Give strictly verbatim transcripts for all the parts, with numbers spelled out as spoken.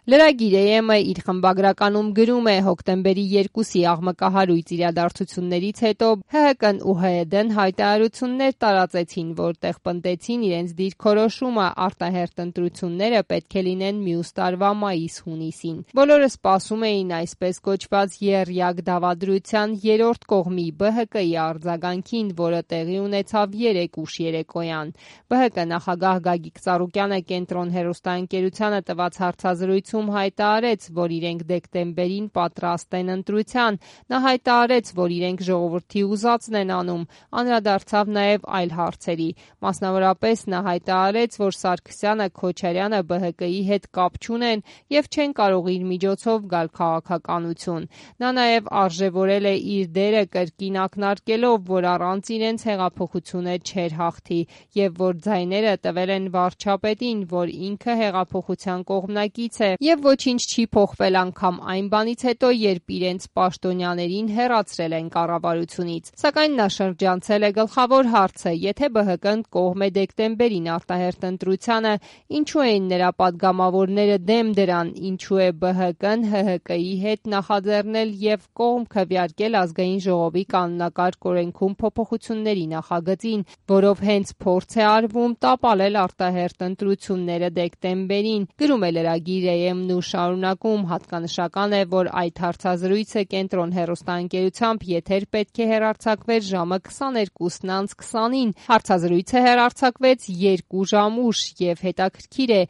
Լրագիր է եմը իր խմբագրականում գրում է հոկտեմբերի երկուսի աղմկահարույց իրադարձություններից հետո Հ Հ Կն ու Հ Ե Դն հայտարարություններ տարածեցին, որտեղ պնդեցին իրենց դիրքորոշումը արտահերթ ընտրությունները պետք է լինեն մյուս տարվա մայիս-հունիսին։ Բոլորը սպասում էին այսպես կոչված եռյակ դավադրության երրորդ կողմի Բ Հ Կի արձագանքին, որը տեղի ունեցավ երեկ ուշ երեկոյան։ Բ Հ Կ նախագահ Գագիկ Ծառուկյանը Կենտրոն հեռուստաընկերությանը տված հարցազրույցում հայտարարեց, որ իրենք դեկտեմբերին պատրաստ են ընտրության։ Նա հայտարարեց, որ իրենք ժողովրդի ուզածն են անում, անդրադարձավ նաև այլ հարցերի։ Մասնավորապես նա հայտարարեց, որ Սարգսյանը, Քոչարյանը Բ Հ Կի հետ կապ չունեն եւ չեն կարող իր միջոցով գալ քաղաքականություն։ Նա նաև արժևորել է իր դերը կրկին ակնարկելով, որ առանց իրենց հեղափոխությունը չէր հաղթի եւ որ ձայները տվել են վարչապետին, որ ինքը հեղափոխության կողմնակից է եւ ոչինչ չի փոխվել անգամ այն բանից հետո, երբ իրենց պաշտոնյաներին հեռացրել են կառավարությունից։ Սակայն նա շրջանցել է գլխավոր հարցը. եթե Բ Հ Կն կողմ է դեկտեմբերին արտահերթ ընտրությանը, ինչու էին նրա падգամավորները դեմ դրան, ինչու է Բ Հ Կն Հ Հ Կի հետ նախաձեռնել եւ կողմ քվեարկել ազգային ժողովի կանոնակարգ օրենքում փոփոխությունների նախագծին, որով հենց փորձ է արվում տապալել արտահերթ ընտրությունները դեկտեմբերին։ Գրում է լրագիր է եմն ու շարունակում. հատկանշական է, որ այդ հարցազրույցը Կենտրոն հեռուստաընկերությամբ եթեր պետք է հեռարձակվեր ժամը քսաներկուսն անց քսանին։ Հարցազրույցը հեռարձակվեց երկու ժամ ուշ եւ հետաքրքիր է,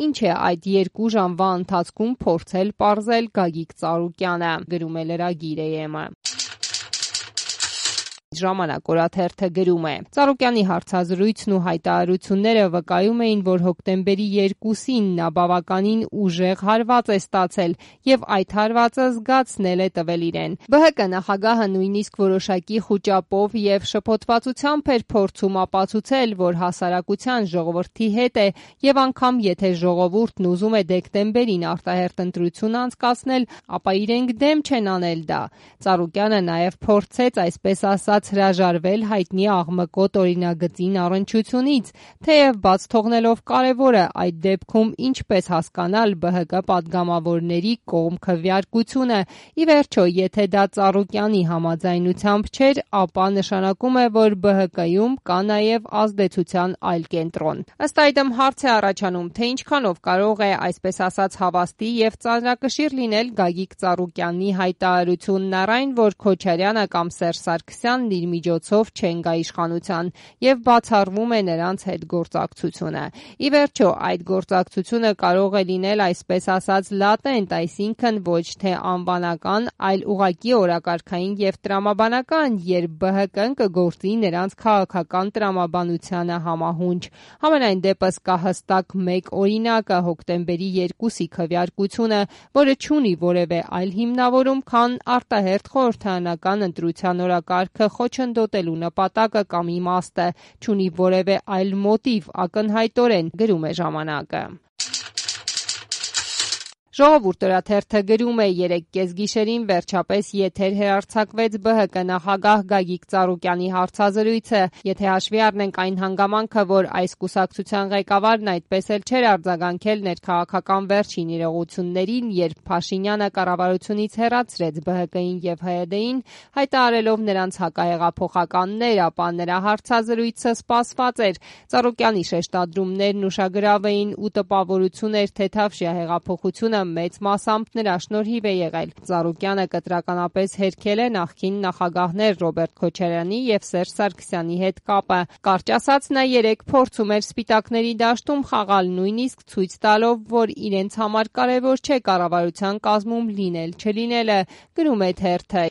ինչ է այդ երկու ժամվա ընթացքում փորձել պարզել Գագիկ Ծառուկյանը։ Գրում է լրագիր է եմը։ Ժամանակ օրաթերթը գրում է. Ծառուկյանի հարցազրույցն ու հայտարարությունները վկայում էին, որ հոկտեմբերի երկուսին նա բավականին ուժեղ հարված է ստացել եւ այդ հարվածը զգացնել է տվել իրեն։ Բ Հ Կ նախագահը նույնիսկ որոշակի խուճապով եւ շփոթվածությամբ էր փորձում ապացուցել, որ հասարակության ժողովրդի հետ է եւ անգամ եթե ժողովուրդն ուզում է դեկտեմբերին արտահերթ ընտրություն անցկացնել, ապա իրենք դեմ չեն անել դա։ Ծառուկյանը նաեւ փորձեց այսպես ասած հրաժարվել հայտնի աղմկոտ օրինագծին առնչությունից, թեև բաց թողնելով կարևորը այդ դեպքում ինչպես հասկանալ Բ Հ Կ падգամավորների կողմ քվեարկությունը։ Ի վերջո, եթե դա Ծառուկյանի համաձայնությամբ չէր, ապա նշանակում է, որ Բ Հ Կում կա նաև ազդեցության այլ կենտրոն։ Ըստ այդմ հարց է առաջանում, թե ինչքանով կարող է այսպես ասած հավաստի եւ ծանրակշիռ լինել Գագիկ Ծառուկյանի հայտարարությունն առայն, որ Քոչարյանը կամ Սերժ Սարգսյանն իր միջոցով չեն գա իշխանության եւ բացառվում է նրանց հետ գործակցությունը։ Ի վերջո, այդ գործակցությունը կարող է լինել այսպես ասած լատենտ, այսինքն ոչ թե անվանական, այլ ուղղակի օրակարգային եւ տրամաբանական, երբ Բ Հ Կն կգործի նրանց քաղաքական տրամաբանությանը համահունչ։ Համենայն դեպս կա հստակ մեկ օրինակը հոկտեմբերի երկուսի քվեարկությունը, որը չունի որևէ այլ հիմնավորում, քան արտահերթ խորհրդարանական ընտրության օրակարգը խոչընդոտելու նպատակը կամ իմաստը, չունի որևէ այլ մոտիվ, ակնհայտորեն, գրում է ժամանակը։ Ժողովուրդ օրաթերթը գրում է. երեկ կեսգիշերին վերջապես եթեր հեռարձակվեց Բ Հ Կ նախագահ Գագիկ Ծառուկյանի հարցազրույցը։ Եթե հաշվի առնենք այն հանգամանքը, որ այս կուսակցության ղեկավարն այդպես էլ չէր արձագանքել ներքաղաքական վերջին իրողություններին, երբ Փաշինյանը կառավարությունից հեռացրեց Բ Հ Կին եւ Հ Ե Դին, հայտարարելով նրանց հակահեղափոխականներ, ապա նրա հարցազրույցը սպասված էր։ Ծառուկյանի շեշտադրումներն ուշագրավ էին ու տպավորություն էր, թե Թավշյա հեղափոխությունը մեծ մասամբ նրա շնորհիվ է եղել։ Ծառուկյանը կտրականապես հերքել է նախկին նախագահներ Ռոբերտ Քոչարյանի եւ Սերժ Սարգսյանի հետ կապը։ Կարճ ասած, նա երեք փորձում էր Սպիտակների դաշտում խաղալ, նույնիսկ ցույց տալով, որ իրենց համար կարևոր չէ կառավարության կազմում լինել չլինելը, գրում է թերթը։